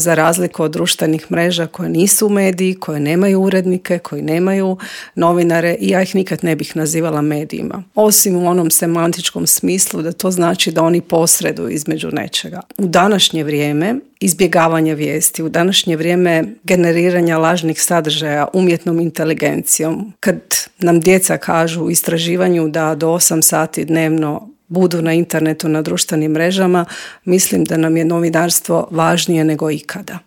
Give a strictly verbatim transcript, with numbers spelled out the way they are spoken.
za razliku od društvenih mreža koje nisu mediji, koje nemaju urednike, koji nemaju novinare, i ja ih nikad ne bih nazivala medijima. Osim u onom semantičkom smislu da to znači da oni posreduju između nečega. U današnje vrijeme izbjegavanja vijesti, u današnje vrijeme generiranja lažnih sadržaja umjetnom inteligencijom, kad nam djeca kažu u istraživanju da do osam sati dnevno budu na internetu, na društvenim mrežama, mislim da nam je novinarstvo važnije nego ikada.